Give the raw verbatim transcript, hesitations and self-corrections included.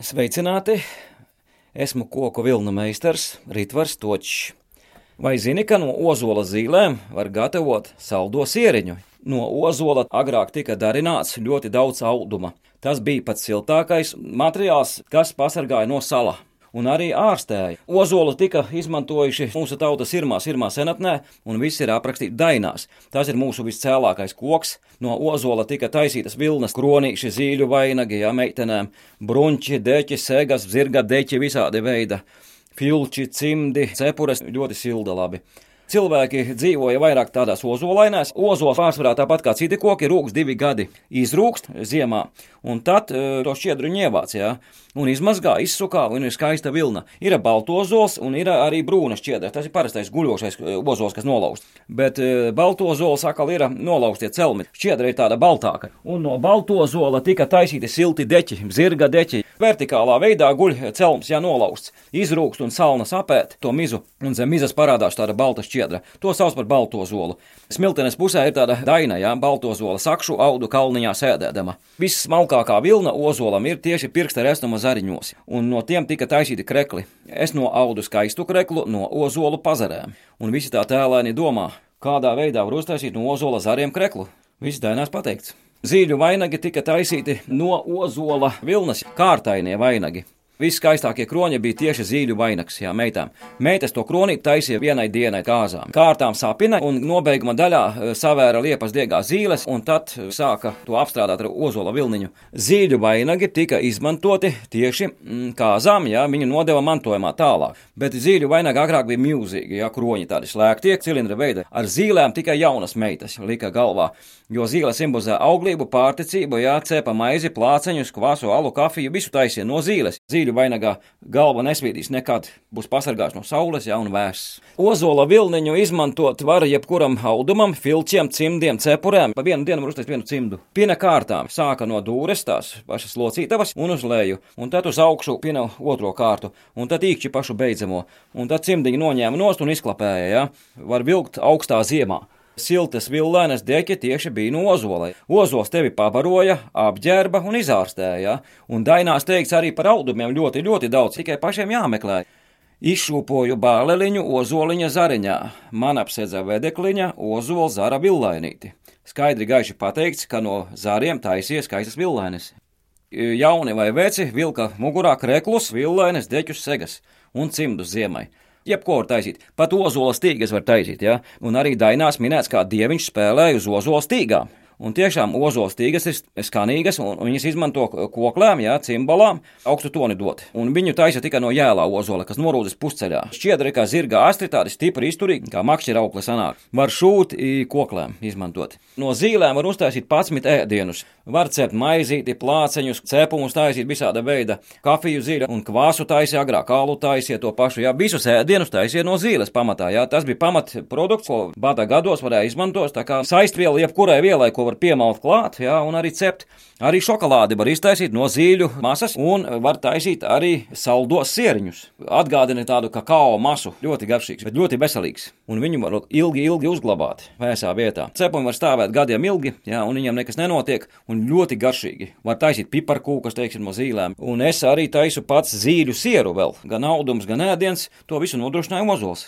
Sveicināti! Esmu koku vilnu meistars Ritvars Točs. Vai zini, ka no ozola zīlēm var gatavot saldo sieriņu? No ozola agrāk tika darināts ļoti daudz auduma. Tas bija pats siltākais materiāls, kas pasargāja no sala un arī ārstēja. Ozolu tika izmantojuši mūsu tautas irmā, irmā senatnē, un viss ir aprakstīts dainās. Tas ir mūsu viscēlākais koks. No ozola tika taisītas vilnas, kronīši, zīļu vainagi, jā, meitenēm, brunči, deķi, segas, zirga deķi, visādi veida, filči, cimdi, cepures, ļoti silda labi. Cilvēki dzīvoja vairāk tādās ozolainēs. Ozols pārsvarā tāpat kā citi koki rūks divi gadi. Izrūkst ziemā, un tad e, to šķiedru ievāc, jā, un izmazgā, izsukā, un ir skaista vilna. Ir baltozols un ir arī brūna šķiedra. Tas ir parastais guļošais ozols, kas nolaust. Bet e, baltozols atkal ir nolaustie celmi. Šķiedra ir tāda baltāka. Un no baltozola tika taisīti silti deķi, zirga deķi. Vertikālā veidā guļ celms, ja nolausts. Izrūkst un salna sapēt to mizu, un zem mizas parādās tāda balta šķiedra. To sauc par baltozolu. Smiltenes pusē ir tāda daina, jā, baltozola sakšu audu kalniņā sēdēdama. Viss smalkākā vilna ozolam ir tieši pirksta resnuma zariņos, un no tiem tika taisīti krekli. Es no audu skaistu kreklu, no ozolu pazarēm. Un visi tā tēlēni domā, kādā veidā var uztaisīt no ozola zariem kreklu. Viss dainās pateikts. Zīļu vainagi tika taisīti no ozola vilnas, kārtainie vainagi. Viskaistākie kroņi bija tieši zīļu vainags, jā, meitām. Meitas to kronīti taisīja vienai dienai kāzām. Kārtām sapina un nobeiguma daļā savēra liepas diegā zīles un tad sāka to apstrādāt ar ozola vilniņu. Zīļu vainagi tika izmantoti tieši mm, kāzām, jā, viņu nodeva mantojumā tālāk. Bet zīļu vainagi agrāk bija milzīgi, jā, kroņi tādi slēgtie, cilindra veida. Ar zīlēm tikai jaunas meitas lika galvā, jo zīle simbolizē auglību, pārticību, jā, cepa maizi, plāceņus, kvasu, alu, kafiju, visu taisīja no zīles. Zīļu vainagā galva nesvīdīs nekad, būs pasargāts no saules, jā, un vēss. Ozola vilniņu izmantot var jebkuram audumam, filčiem, cimdiem, cepurēm. Pa vienu dienu var uztaisīt vienu cimdu. Pina kārtām sāka no dūres, tās pašas locītavas, un uz leju, un tad uz augšu pina otro kārtu, un tad īkšķi pašu beidzamo, un tad cimdiņu noņēma nost un izklapēja, jā. Var vilkt augstā ziemā. Siltas villainas deķi tieši bija no ozolai. Ozols tevi pabaroja, apģērba un izārstēja, un dainās teikts arī par audumiem ļoti, ļoti daudz, tikai pašiem jāmeklē. Izšūpoju bāleliņu ozoliņa zariņā, man apsedza vedekliņa ozola zara villainīti. Skaidri gaiši pateikts, ka no zariem taisies skaistas villainas. Jauni vai veci vilka mugurā kreklus, villainas, deķus, segas un cimdus ziemai. Jebko var taisīt, pat ozola stīgas var taisīt, ja? Un arī dainās minēts, kā dieviņš spēlēja uz ozola stīgām. Un tiešām ozola stīgas ir skanīgas, un viņas izmanto koklēm, jā, cimbalām, augstu toni dot. Un viņu taisa tikai no jēlā ozola, kas norūdas pusceļā. Šķiedra kā zirga astri, tādi stipri izturīgi, kā makšķira aukli sanāk. Var šūt koklēm izmantot. No zīlēm var uztaisīt padsmit ēdienus. Var cept maizīti, plāceņus, cepumus taisīt visāda veida, kafiju zīļa un kvāsu taisīja agrāk, alu taisīja to pašu, jā, visus ēdienus taisīja no zīles pamatā, jā. Tas bija pamatprodukts, ko bada gados varēja izmantot, tā kā saistviela jebkurai vielai, ko var piemalt klāt, jā, un arī cept. Arī šokolādi var iztaisīt no zīļu masas un var taisīt arī saldos sieriņus. Atgādina tādu kakao masu, ļoti garšīgs, bet ļoti veselīgs. Un viņu var ilgi, ilgi uzglabāt vēsā vietā. Cepumi var stāvēt gadiem ilgi, jā, un viņam nekas nenotiek, un ļoti garšīgi. Var taisīt piparkūkas, teiksim, no zīlēm. Un es arī taisu pats zīļu sieru vēl, gan audums, gan ēdiens, to visu nodrošināja ozols.